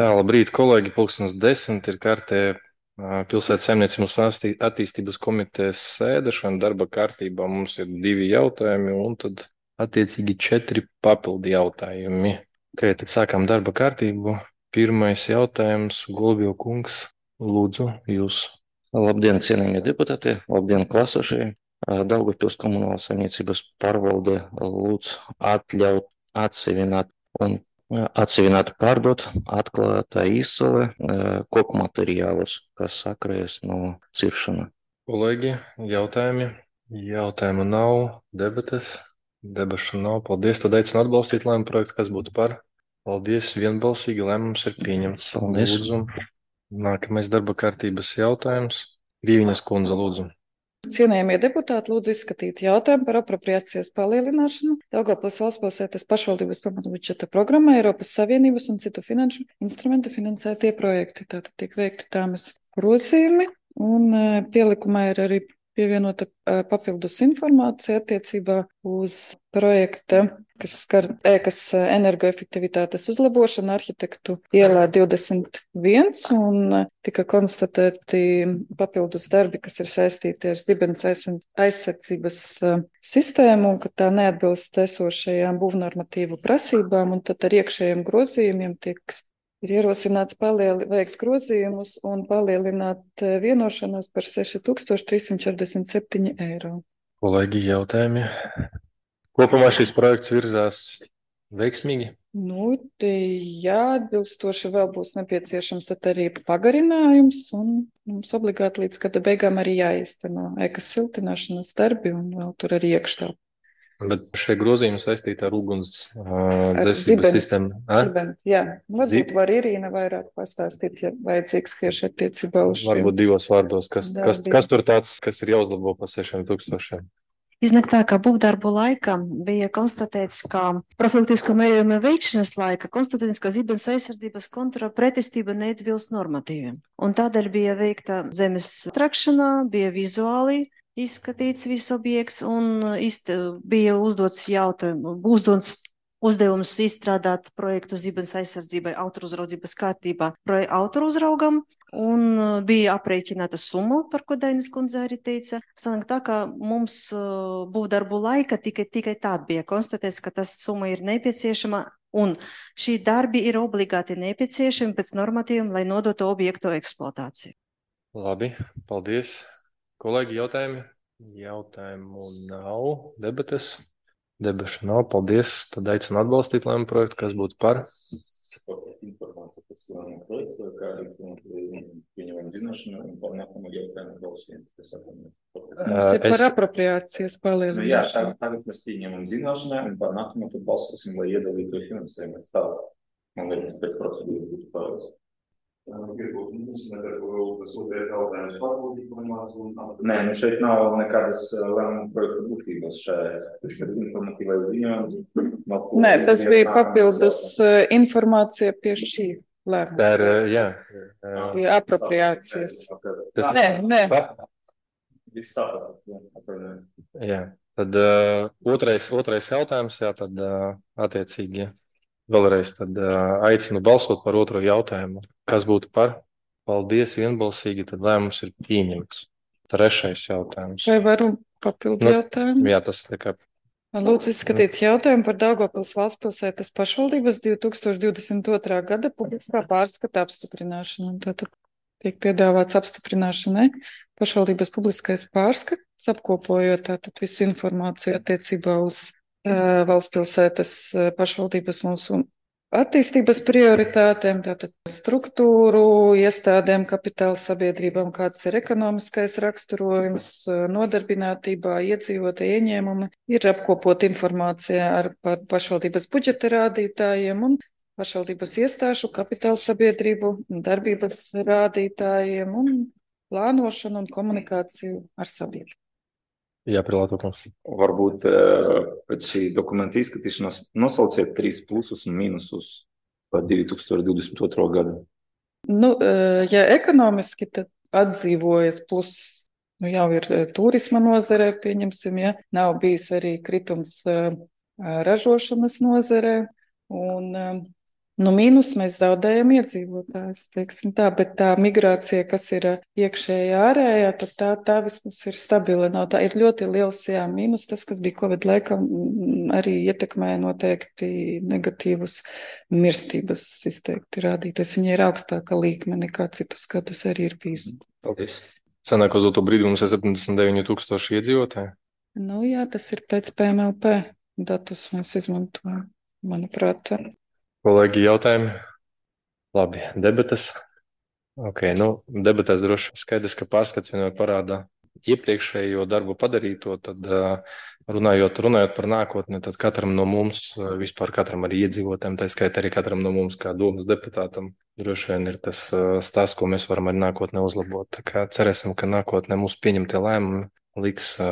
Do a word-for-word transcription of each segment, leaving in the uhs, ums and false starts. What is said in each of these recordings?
Tā, labrīt, kolēģi, pulkstens desmit ir kārtē ā, pilsētas saimniecības un asti- attīstības komitejas sēde. Šodien darba kārtībā mums ir divi jautājumi un tad attiecīgi četri papildi jautājumi. Ok, tad sākam darba kārtību. Pirmais jautājums, Gulbju kungs, lūdzu, jūs. Labdien, cienījamie deputāti, labdien, klāsošie. Daugavpils komunālās saimniecības pārvalde lūdz atļaut atsevināt un atsevināt pārdot atklātā izsole koku materiālus, kas sakrājas no ciršana. Kolēģi, jautājumi? Jautājumu nav, debates? Debašu nav. Paldies, tad aicinu atbalstīt lēmumu projektu, kas būtu par. Paldies, vienbalsīgi lēmums ir pieņemts. Paldies. Lūdzu, nākamais darba kārtības jautājums. Rīviņas kundze, lūdzu. Cienējamie deputāti, lūdzu izskatīt jautājumu par apropriācijas palielināšanu Daugavpils valsts pilsētas pašvaldības pamatbudžeta programmai Eiropas Savienības un citu finanšu instrumentu finansētie projekti. Tātad tiek veikti tāmas grozījumi un eh, pielikumā ir arī pievienota eh, papildus informācija attiecībā uz projekta, kas skar ēkas eh, energoefektivitātes uzlabošanu arhitektu ielā divdesmit viens un eh, tika konstatēti papildus darbi, kas ir saistīti ar zibens aizsardzības eh, sistēmu un ka tā neatbilst esošajām būvnormatīvu prasībām, un tad ar iekšējiem grozījumiem tiek ir ierosināts palieli, veikt grozījumus un palielināt eh, vienošanos par seši tūkstoši trīs simti četrdesmit septiņi eiro. Kolēģi, jautājumi? Kopumā šis projekts virzās veiksmīgi. Nu, te jāatbilstoši vēl būs nepieciešams tad arī pagarinājums, un mums obligāti līdz gada beigām arī jāizteno ēkas siltināšanas darbi un vēl tur arī iekštelpa. Bet šie grozījumi saistīti ar uguns uh, Ar dzēsības zibens- sistēmu. A? Zibens, jā, varbūt Zib- var Irīna vairāk pastāstīt, ja vajadzīgs tieši attiecībā uz šiem. Varbūt divos vārdos, kas, kas, Darbiem. kas tur tāds, kas ir jāuzlabo pa sešiem tūkstošiem. Iznāk tā, ka būvdarbu laika bija konstatēts, ka profilaktisko mērījumu veikšanas laika konstatēts, ka zibens aizsardzības kontrola pretestība neatbilst normatīviem. Un tādēļ bija veikta zemes trakšana, bija vizuāli izskatīts viss objekts un izt, bija uzdots jautājumu, uzdots uzdevums izstrādāt projektu zibens aizsardzībai autoruzraudzības kārtībā autoruzraugam, un bija aprēķināta summa, par ko Dainis kundze arī teica. Sanāk tā, ka mums būvdarbu laika tikai, tikai tād bija konstatēts, ka tas summa ir nepieciešama, un šī darbi ir obligāti nepieciešami pēc normatīviem, lai nodotu objektu eksploatāciju. Labi, paldies. Kolēģi, jautājumi? Jautājumu nav. Debates? Debašu nav. Paldies. Tad aicinu atbalstīt lēmumu projektu, kas būtu par. Informācija par slēmumu projektu, kā arī pieņemam zināšanu un par nākamo jautājumu balsīm. Mums ir par apropriācijas Nu, jā, palielināšanu. tagad, tagad mēs pieņemam zināšanai un par nākamo tad balsosim, lai iedalītu finansējumu. Tā, man liekas, pēc procedūras būtu pareizi. Gribu uzsvērt, ka tas otrais jautājums pārbaudīt informāciju un aptvērst. Nē, nu šeit nav nekādas lēmuma projekta būtības šajā. Tas ir informatīvai ziņojums. Nē, tas bija papildus eh, informācija pie šī lēmuma. Tā ir, jā. Pie apropriācijas. Tas- Nē, nē. Viss saprot. jā, atvainojiet. Jā. Tad uh, otrais, otrais jautājums, jā, tad uh, attiecīgi vēlreiz tad uh, aicinu balsot par otro jautājumu. Kas būtu par? Paldies, vienbalsīgi, tad lēmums ir pieņemts. Trešais jautājums. Vai varu papildu Nu, jautājumu? Jā, tas tā kā Lūdzu izskatīt jautājumu par Daugavpils valsts pilsētas pašvaldības divi tūkstoši divdesmit otrā gada publiskā pārskata apstiprināšanu. Tātad tiek piedāvāts apstiprināšanai pašvaldības publiskais pārskats, apkopojot tātad visu informāciju attiecībā uz uh, valsts pilsētas uh, pašvaldības mūsu attīstības prioritātēm, tātad struktūru, iestādēm, kapitāla sabiedrībām, kāds ir ekonomiskais raksturojums, nodarbinātībā, iedzīvotāju ieņēmumi, ir apkopot informācija ar par pašvaldības budžeta rādītājiem un pašvaldības iestāšu, kapitāla sabiedrību, darbības rādītājiem un plānošanu un komunikāciju ar sabiedrību. jāprilāto kungs. Varbūt eh, pēc šī dokumenta izskatīšanas nosauciet trīs plusus un mīnusus par divi tūkstoši divdesmit otro gadu. Nu, eh, ja ekonomiski, tad atdzīvojas plus, nu jau ir eh, turisma nozarē, pieņemsim, ja nav bijis arī kritums eh, ražošanas nozarē, un eh, Nu, mīnus mēs zaudējam iedzīvotājus, teiksim tā, bet tā migrācija, kas ir ā, iekšējā, ārējā, tad tā, tā vismaz ir stabila. Nav tā ir ļoti liels, jā, mīnus. Tas, kas bija Covid laikā, mm, arī ietekmēja noteikti negatīvus mirstības izteikti rādītājs. Viņa ir augstāka līkme nekā citus gadus arī ir bijusi. Paldies. Sanāk, uz to brīdi mums ir septiņdesmit deviņi tūkstoši iedzīvotāji. Nu, jā, tas ir pēc P M L P datus mēs izmantojam, manuprāt. tā. Kolēģi, jautājumi? Labi, debates. Ok, nu, debatēs droši skaidrs, ka pārskats vienmēr parāda iepriekšējo darbu padarīto, tad ā, runājot, runājot par nākotni, tad katram no mums, ā, vispār katram arī iedzīvotājiem, tā skaitā arī katram no mums kā domas deputātam, droši vien ir tas ā, stāsts, ko mēs varam arī nākotnē uzlabot. Tā kā cerēsim, ka nākotnē mūsu pieņemtie lēmumi liks ā,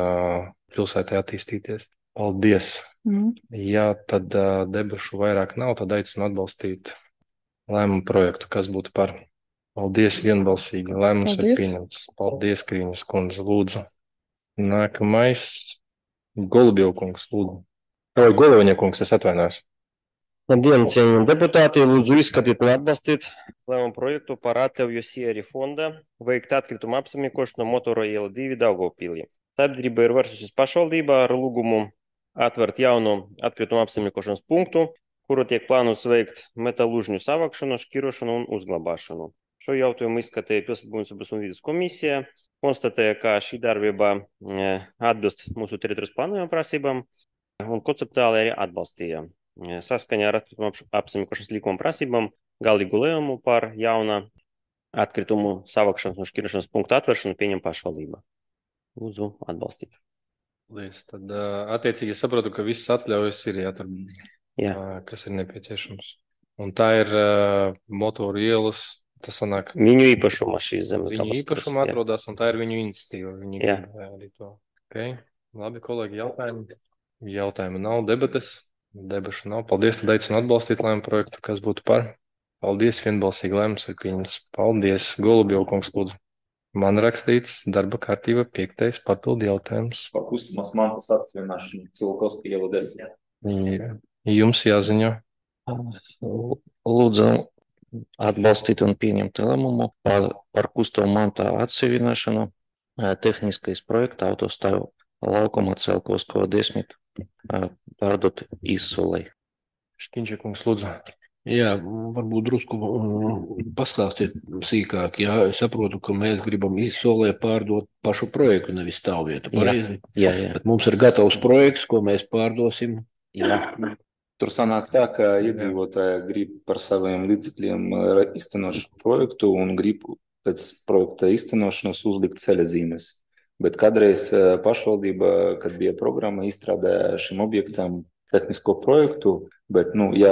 pilsētai attīstīties. Paldies! Mm. Ja tad ā, debašu vairāk nav, tad aicinu atbalstīt lēmumu projektu, kas būtu par. Paldies vienbalsīgi. Lēmums ir Paldies. pieņemts. Paldies, Krīņas kundze, lūdzu. Nākamais. Golubjev kungs, lūdzu. Oi, Goloviņa kungs, es atvainojos. Labdien, cienījami deputāti! Lūdzu izskatīt un atbalstīt lēmumu projektu par atļauju Sierra fonda veikt atkritumu apsaimniekošanu Motora iela divi Daugavpilī. Sabiedrība ir vērsusies pašvaldībā ar lūgumu atvērt jaunu atkritumu apsaimniekošanas punktu, kuru tiek plānots veikt metālūžņu savākšanu, šķirošanu un uzglabāšanu. Šo jautājumu izskatīja Pilsētbūvniecības un vides komisija, konstatēja, ka šī darbība e, atbilst mūsu teritorijas plānojuma prasībām un konceptuāli arī atbalstīja. E, Saskaņā ar atkritumu ap- apsaimniekošanas likuma prasībām galīgu lēmumu par jauna atkritumu savākšanas un šķirošanas punktu atvēršanu pieņem pašvaldība. Lūdzu atbalstīt. Paldies. Tad ā, attiecīgi es saprotu, ka visas atļaujas ir jātur, Jā. ā, kas ir nepieciešams. Un tā ir ā, motoru ielas, tas sanāk, Viņu īpašumā šīs zemes viņu gabals, īpašumā jā. atrodas, un tā ir viņu iniciatīva. Viņi Jā. grib ā, arī to. Okay. Labi, kolēģi, jautājumi? Jautājumu nav, debates. Debašu nav. Paldies, tad aicinu atbalstīt lēmumu projektu, kas būtu par. Paldies, vienbalsīgi lēmums ir pieņemts. Paldies, Golubjev kungs, lūdzu. Man rakstīts darba kārtība piektais papildu jautājums. Par kustamās mantas atsevienošanu Cilkovska iela desmit. Jā. Jums jāziņo. Lūdzu atbalstīt un pieņemt lēmumu par, par kustamu mantā atsevienošanu, ā, tehniskais projekta autostāvu laukuma Celkovskого desmit ā, pārdot izsolei. Šķiņķa kungs, lūdzu. Jā, varbūt drusku mm, pastāstiet sīkāk. Jā, es saprotu, ka mēs gribam izsolē pārdot pašu projektu, nevis stāvvietu. Jā. Pareizi? Jā, jā. Bet mums ir gatavs projekts, ko mēs pārdosim. Jā. Tur sanāk tā, ka iedzīvotāji grib par saviem līdzekļiem eh, iztenot šo projektu un grib pēc projekta iztenošanas uzlikt ceļazīmes. Bet kādreiz eh, pašvaldība, kad bija programma, izstrādāja šim objektam tehnisko projektu, bet, nu, ja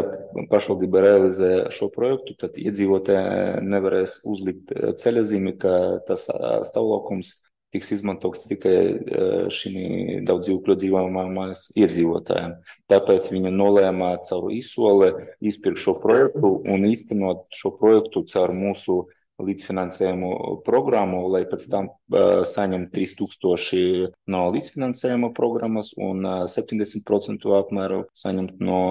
pašvaldība realizē šo projektu, tad iedzīvotāji nevarēs uzlikt eh, ceļazīmi, ka tas eh, stāvlaukums tiks izmantots tikai eh, šim daudz dzīvokļu dzīvojamās iedzīvotājiem. Tāpēc viņa nolēma caur izsoli izpirkt šo projektu un īstenot šo projektu caur mūsu līdzfinansējumu programmu, lai pēc tam uh, saņem trīs tūkstoši no līdzfinansējuma programmas un uh, septiņdesmit procentu apmēru saņemt no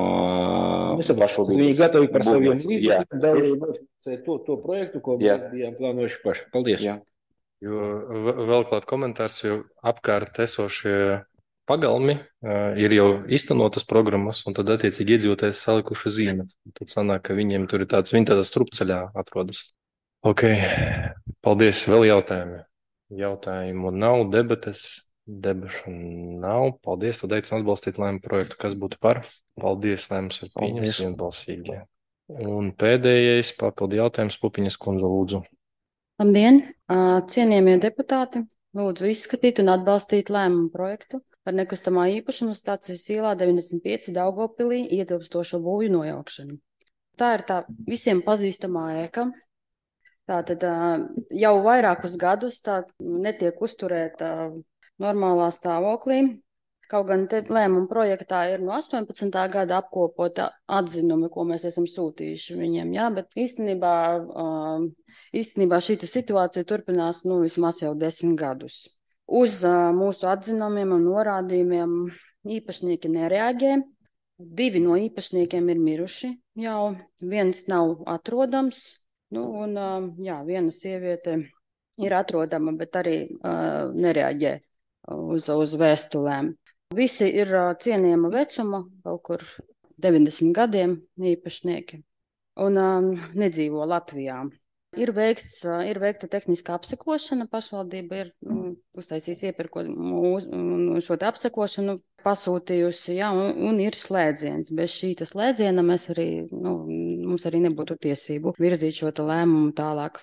uh, pašvaldības. Viņi gatavi par saviem budžets. Jā. līdzekļiem dalībniekiem to, to projektu, ko Jā. mēs bijām plānojuši paši. Paldies. Jā. Jo v- vēl klāt komentārs, jo apkārt esošie pagalmi ā, ir jau īstenotas programmas, un tad attiecīgi iedzīvotājs salikuši zīme. Tad sanāk, ka viņiem tur ir tāds, viņi tādā strupceļā atrodas. Ok, paldies. Vēl jautājumi? Jautājumu nav, debates, debašu nav. Paldies, tad aicinu atbalstīt lēmumu projektu, kas būtu par. Paldies, lēmums ir pieņemts Paldies. vienbalsīgi. Un pēdējais papildu jautājums, Pupiņas kundze, lūdzu. Labdien, ā, cienījamie deputāti! Lūdzu izskatīt un atbalstīt lēmumu projektu par nekustamā īpašuma stācijas ielā deviņdesmit pieci Daugavpilī ietilpstošo būvju nojaukšanu. Tā ir tā visiem pazīstamā ēka. Tātad ā, jau vairākus gadus tā netiek uzturēta normālā stāvoklī. Kaut gan te lēmuma projektā ir no astoņpadsmitā gada apkopota atzinumi, ko mēs esam sūtījuši viņiem, jā, bet īstenībā, uh, īstenībā šī situācija turpinās nu, vismaz jau desmit gadus. Uz uh, mūsu atzinumiem un norādījumiem īpašnieki nereaģē. Divi no īpašniekiem ir miruši, jau viens nav atrodams, nu, un jā, viena sieviete ir atrodama, bet arī uh, nereaģē uz, uz vēstulēm. Visi ir uh, cienījama vecuma, kaut kur deviņdesmit gadiem īpašnieki, un um, nedzīvo Latvijā. Ir, veikts, ir veikta tehniskā apsekošana, pašvaldība ir nu, uztaisījusi iepirkumu šo te apsekošanu, pasūtījusi, jā, un, un ir slēdziens. Bez šī slēdziena mēs arī, nu, mums arī nebūtu tiesību virzīt šo te lēmumu tālāk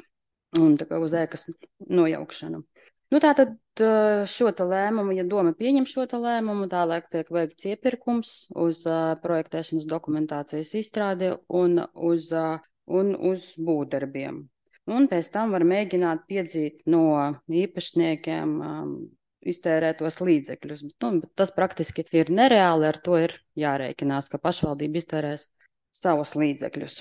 un tā kā uz ēkas nojaukšanu. Nu, tātad šo te lēmumu, ja doma pieņem šo te lēmumu, tālāk tiek veikts iepirkums uz uh, projektēšanas dokumentācijas izstrādi un uz, uh, un uz būvdarbiem. Un pēc tam var mēģināt piedzīt no īpašniekiem um, iztērētos līdzekļus. Nu, tas praktiski ir nereāli, ar to ir jārēķinās, ka pašvaldība iztērēs savus līdzekļus.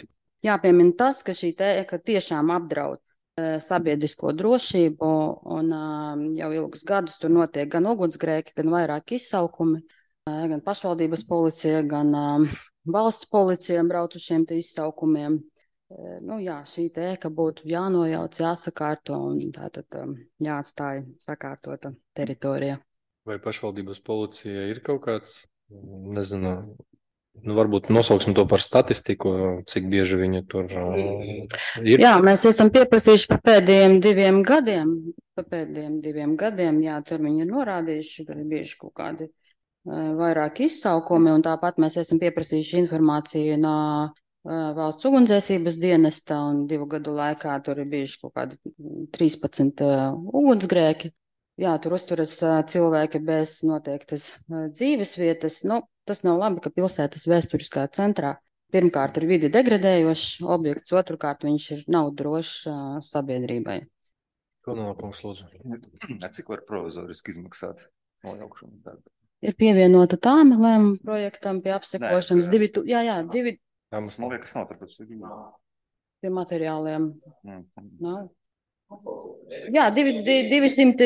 Jāpiemina tas, ka šī ēka tiešām apdraud e, sabiedrisko drošību, un um, jau ilgus gadus tur notiek gan ugunsgrēki, gan vairāk izsaukumi, e, gan pašvaldības policija, gan um, valsts policija brauc uz šiem te izsaukumiem. Nu, jā, šī ēka būtu jānojauc, jāsakārto un tātad um, jāatstāja sakārtota teritorija. Vai pašvaldības policija ir kaut kāds, nezinu, nu, varbūt nosauksim to par statistiku, cik bieži viņi tur uh, ir? Jā, mēs esam pieprasījuši par pēdējiem diviem gadiem, par pēdējiem diviem gadiem, jā, tur viņi ir norādījuši, ka ir bijuši kaut kādi uh, vairāk izsaukumi, un tāpat mēs esam pieprasījuši informāciju no Valsts ugunsdzēsības dienesta, un divu gadu laikā tur ir bijuši kaut kādi trīspadsmit uh, ugunsgrēki. Jā, tur uzturas uh, cilvēki bez noteiktas uh, dzīves vietas. Nu, tas nav labi, ka pilsētas vēsturiskā centrā pirmkārt ir vidi degradējošs objekts, otrkārt viņš ir nav drošs uh, sabiedrībai. Ko nolakums, lūdzu? Cik var provizoriski izmaksāt nojaukšanas darbu? Ir pievienota tāma lēmuma projektam pie apsekošanas. Divi, tu, jā, jā, divi. Man liekas, nav tāpēc. Pie materiāliem. Mm. Nav. Jā, divsimt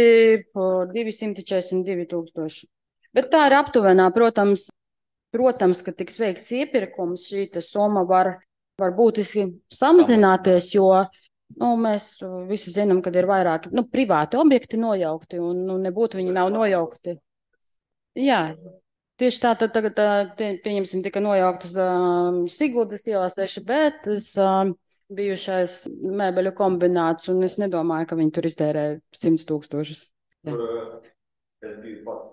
četrdesmit divi tūkstoši. Bet tā ir aptuvenā, protams, protams, ka tiks veikts iepirkums, šī summa var, var būtiski samazināties, jo nu, mēs visi zinām, ka ir vairāki nu, privāti objekti nojaukti, un nu, nebūtu viņi nav nojaukti. Jā. Tieši tā, tad tagad, pieņemsim, tika nojauktas uh, Siguldas ielā seši B, tas uh, bijušais mēbeļu kombināts, un es nedomāju, ka viņi tur iztērē simts tūkstošus. Tur es biju pats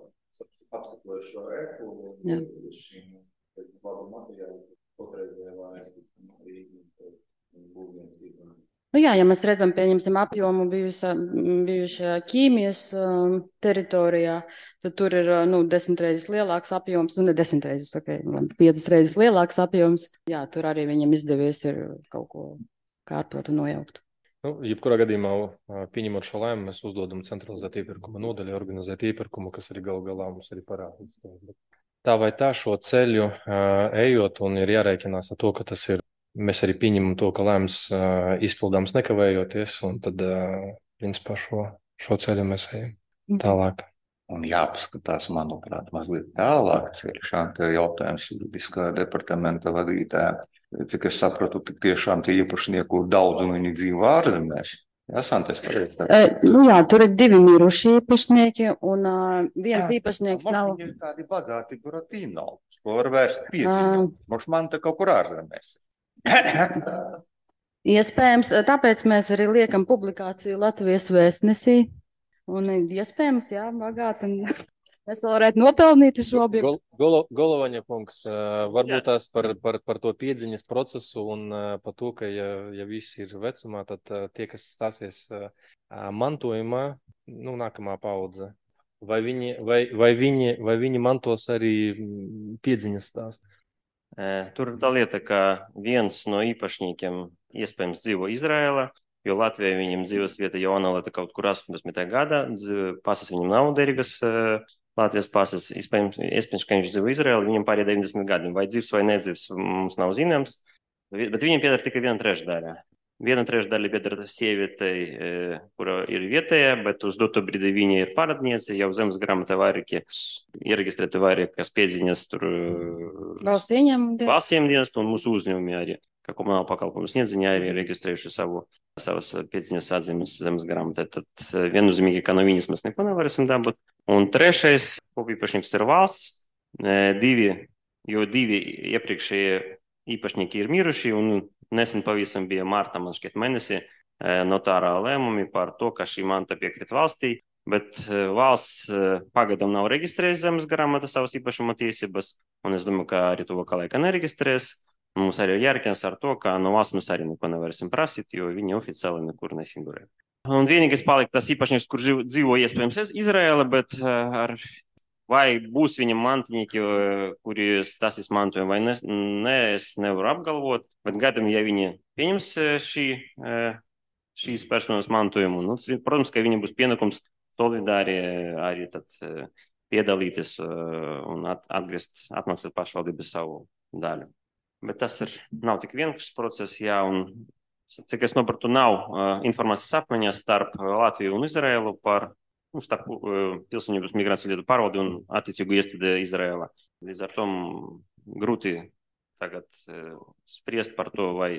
apsakojuši šo ēku, un šīm labu materiālu potreizējā vārēs, arī būvniecības īstenībā. Nu jā, ja mēs redzam, pieņemsim apjomu bijušajā ķīmijas um, teritorijā, tad tur ir nu, desmit reizes lielāks apjoms, nu ne desmit reizes, ok, piecas reizes lielāks apjoms. Jā, tur arī viņam izdevies ir kaut ko kārtot un nojaukt. Nu, jebkurā gadījumā, pieņemot šo lēmumu, mēs uzdodam centralizēt iepirkuma nodaļu, organizēt iepirkumu, kas arī galu galā mums arī parādīs. Tā vai tā šo ceļu ejot un ir jārēķinās ar to, ka tas ir. Mēs arī pieņemam to, ka lēmums uh, izpildāms nekavējoties, un tad, uh, principā, šo, šo ceļu mēs ejam tālāk. Un jāpaskatās, manuprāt, mazliet tālāk ceļš, tā jautājums juridiskā departamenta vadītāja. Cik es sapratu, tik tiešām tie īpašnieku daudz un viņi dzīvo ārzemēs. Jā, Santes, pareizi. E, nu jā, tur ir divi miruši īpašnieki, un uh, viens īpašnieks nav. Viņi ir tādi bagāti Buratino, ko var vērst piedziņu. Moš man te kaut kur ārzemēs. Iespējams, tāpēc mēs arī liekam publikāciju Latvijas vēstnesī. Un iespējams, jā, bagāti. Un mēs vēl varētu nopelnīt šo objektu. Golo, Golovaņa kungs, varbūt tās par, par, par to piedziņas procesu un par to, ka ja, ja visi ir vecumā, tad tie, kas stāsies mantojumā, nu, nākamā paudze, vai viņi, vai, vai viņi, vai viņi mantos arī piedziņas stāstu? Tur ir tā lieta, ka viens no īpašniekiem iespējams dzīvo Izraēlā, jo Latvijā viņam dzīves vieta jaunalēta kaut kur astoņdesmitajā gadā, pasas viņam nav derīgas, Latvijas pasas, iespējams, iespējams, ka viņš dzīvo Izraēlā, viņam pārējie deviņdesmit gadi, vai dzīvs vai nedzīvs, mums nav zināms, bet viņam pieder tikai viena trešdaļa. Viena trešdaļa pieder sievietei, kura ir vietējā, bet uz doto brīdi viņa ir pārādniece, jau zemes grāmatā vairāki ieregistrēti vairākas piedziņas tur Valsts ieņēmuma valsts ieņēmuma un mūsu uzņēmumi arī, kā komunāla pakalpojumu sniedzēji arī ir reģistrējuši savu, savas piedziņas atzīmes zemes grāmatā. Tad viennozīmīgi, ka no viņas mēs neko nevarēsim dabūt. Un trešais kopīpašnieks ir valsts, divi, jo divi iepriekšējie īpašnieki ir miruši un nesen pavisam bija mārta, man šķiet mēnesi, notārā lēmumi par to, ka šī manta piekrīt valstī, bet valsts pagadam nav reģistrējis zemes grāmatā savas īpašuma tiesības, un es domāju, ka arī tuvākā laikā nereģistrēs. Mums arī ir jārēķinās ar to, ka no valsts mēs arī neko nevarēsim prasīt, jo viņi oficiāli nekur nefigurē. Un vienīgais palika tas īpašnieks, kur dzīvo iespējams Izraēla, bet ar vai būs viņam mantinieki, kuri tas izmantojumi vai ne, ne, es nevaru apgalvot, bet gadam, ja viņi pieņems šī, šīs personas mantojumu, nu, protams, ka viņi būs pienākums solidāri arī tad piedalīties un atgriezt, atmaksāt pašvaldību savu daļu. Bet tas ir, nav tik vienkāršs process, jā, un cik es nopratu, nav informācijas apmaiņas starp Latviju un Izraēlu par starp pilsonības migrācijas lietu pārvaldi un attiecīgu iestādi Izraēlā. Līdz ar to grūti tagad spriest par to, vai,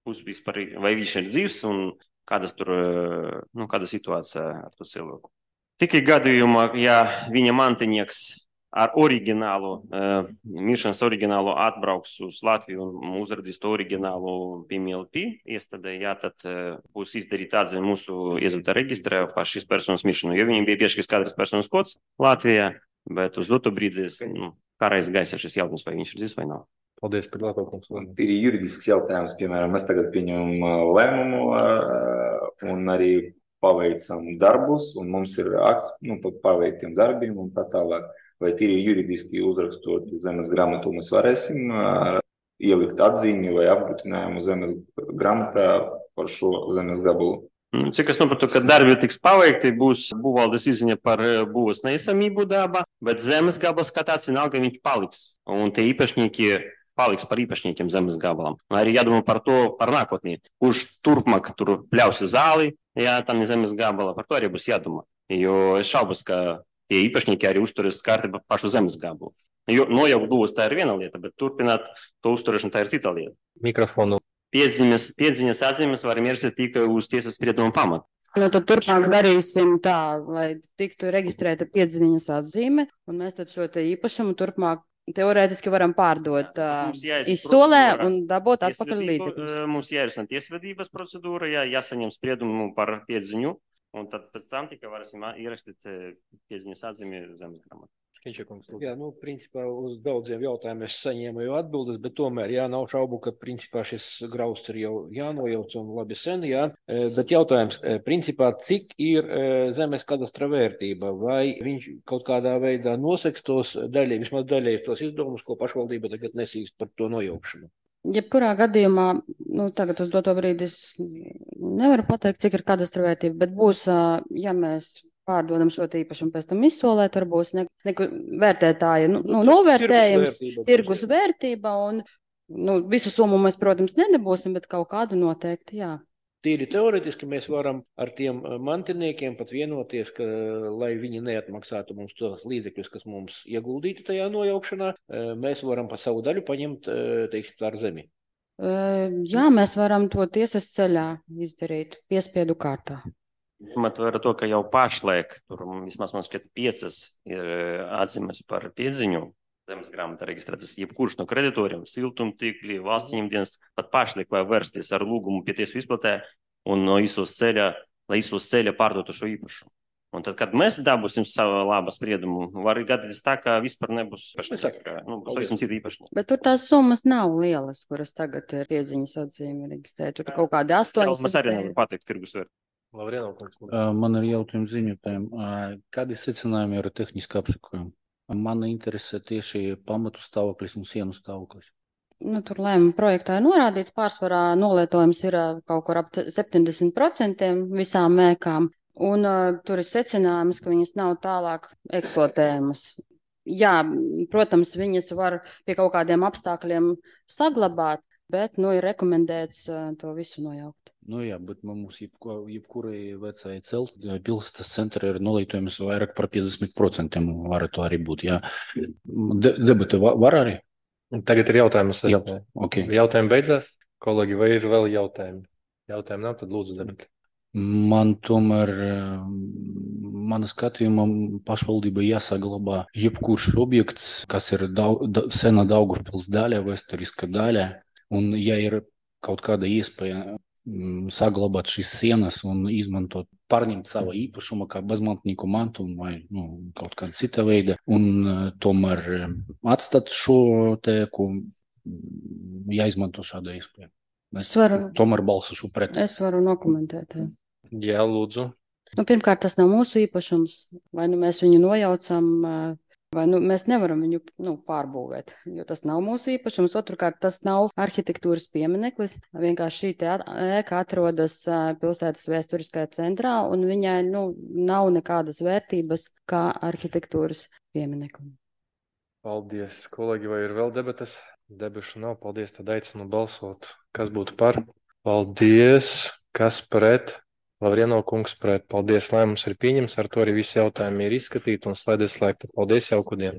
vispār, vai viņš ir dzīvs un kādas tur, nu, kāda situācija ar to cilvēku. Tikai gadījumā, ja viņa mantinieks ar oriģinālu, uh, miršanas oriģinālu atbrauks uz Latviju un uzradīs to oriģinālu P M L P iestādē, jā, tad uh, būs izdarīt atzīme mūsu iezveda reģistrē par šīs personas miršanu, jo viņiem bija piešķirts katras personas kods Latvijā, bet uz doto brīdi, nu, kā reiz gaisa šis jautājums, vai viņš ir dzīvs vai nav. Paldies par labākums. Ir juridisks jautājums, piemēram, mēs tagad pieņemam lēmumu un arī paveicam darbus, un mums ir akts, nu, par paveiktiem darbiem un tā tālāk. Vai tīri juridiski uzrakstot zemes grāmatu mēs varēsim uh, ielikt atzīmi vai apgrūtinājumu zemes grāmatā par šo zemes gabalu? Cik es saprotu, ka darbi tiks paveikti, būs būvvaldes izziņa par būvas neesamību dabā, bet zemes gabals kā tāds vienalga viņš paliks. Un tie īpašnieki paliks par īpašniekiem zemes gabalam. Arī jādomā par to, par nākotnī. Kurš turpmāk tur pļausi zāli, jā, tam ir zemes gabala, par to arī būs jādomā. Jo es šaubos, ka tie īpašnieki arī uzturēs kārtību pašu zemes gabalu. Jo nojaukt būvas tā ir viena lieta, bet turpināt to uzturēšanu tā ir cita lieta. Mikrofonu. Piedziņas, piedziņas atzīmes varam ierakstīt tikai uz tiesas sprieduma pamata. Nu, tad turpmāk darīsim tā, lai tiktu reģistrēta piedziņas atzīme, un mēs tad šo te īpašumu turpmāk teorētiski varam pārdot uh, izsolē un dabūt atpakaļ līdzekļus. Mums jārisina tiesvedības procedūra, jā, jāsaņem spriedumu par piedziņu. Un tad pēc tam tikai varēsim ierakstīt piedziņas atzīmi zemes grāmatā. Jā, nu, principā uz daudziem jautājumiem es saņēmu jau atbildes, bet tomēr, jā, nav šaubu, ka principā šis grausts ir jau jānojauc un labi sen, jā. Bet jautājums, principā, cik ir zemes kadastra vērtība? Vai viņš kaut kādā veidā noseks tos daļai, vismaz daļai tos izdevumus, ko pašvaldība tagad nesīs par to nojaukšanu? Jebkurā gadījumā, nu, tagad uz doto brīdi es nevaru pateikt, cik ir kadastra vērtība, bet būs, ja mēs pārdodam šo īpašumu pēc tam izsolē, tur būs ne, ne, vērtētāja, nu, nu novērtējums, tirgus, tirgus vērtība, un, nu, visu summu mēs, protams, nedabūsim, bet kaut kādu noteikti, jā. Tīri teoretiski mēs varam ar tiem mantiniekiem pat vienoties, ka, lai viņi neatmaksātu mums tos līdzekļus, kas mums ieguldīti tajā nojaukšanā, mēs varam pa savu daļu paņemt, teiksim, ar zemi. Jā, mēs varam to tiesas ceļā izdarīt piespiedu kārtā. Ņemot vērā to, ka jau pašlaik, tur vismaz man šķiet piecas ir atzīmes par piedziņu, zemes grāmatā reģistrētas jebkurš no kreditoriem, siltumtīkli, valsts ieņemdienas, pat pašlaik vai vērsties ar lūgumu pie tiesu izplatē un no izsos ceļa, lai izsos ceļa pārdotu šo īpašumu. Un tad, kad mēs dabūsim savu labu spriedumu, var gadīties tā, ka vispār nebūs īpašnieki. Nu, pavisam citi īpašnieki. Bet tur tās summas nav lielas, kuras tagad ir piedziņas atzīme reģistrēt. Tur kaut kādi astoņas. Mēs arī nevaram pateikt tirgus vērtību. Man ir jautājums ziņotājiem. Kādi secinājumi ir tehniski apsakojumi? Man interesē tieši pamatu stāvoklis un sienu stāvoklis. Nu, tur lēmuma projektā ir norādīts, pārsvarā nolietojums ir kaut kur ap septiņdesmit procenti visām mēkām. Un uh, tur ir secinājums, ka viņas nav tālāk eksploatējamas. Jā, protams, viņas var pie kaut kādiem apstākļiem saglabāt, bet, nu, ir rekomendēts uh, to visu nojaukt. Nu jā, bet mums jebko, jebkurai vecai celt pilsētas centra ir nolītojums vairāk par piecdesmit procentiem. Var to arī būt, jā. De, debata va- var arī? Tagad ir jautājums. Jā, ok. Jautājumi beidzās. Kolēģi, vai ir vēl jautājumi? Jautājumi nav, tad lūdzu debati. Man tomēr, mana skatījumā, pašvaldība jāsaglabā jebkurš objekts, kas ir daug, da, sena Daugavpils daļa, vēsturiska daļa, un ja ir kaut kāda iespēja mm, saglabāt šīs sienas un izmantot, pārņemt savu īpašumu kā bezmantnieku mantumu vai nu, kaut kāda cita veida, un uh, tomēr um, atstāt šo tēku, mm, jāizmanto šāda iespēja. Es varu- tomēr balsošu pret. Es varu nokomentēt. Jā. Jā, lūdzu. Nu, pirmkārt, tas nav mūsu īpašums. Vai nu mēs viņu nojaucam, ā, vai nu mēs nevaram viņu nu, pārbūvēt, jo tas nav mūsu īpašums. Otrkārt, tas nav arhitektūras piemineklis. Vienkārši šī te at- ēka atrodas ā, pilsētas vēsturiskajā centrā, un viņai nu, nav nekādas vērtības kā arhitektūras piemineklim. Paldies, kolēģi, vai ir vēl debatas? Debašu nav. Paldies, tad aicinu balsot. Kas būtu par? Paldies. Kas pret? Lavrieno kungs pret. Paldies, lēmums ir pieņems. Ar to arī visi jautājumi ir izskatīti un slēdzies slēgta. Paldies, jauku dienu.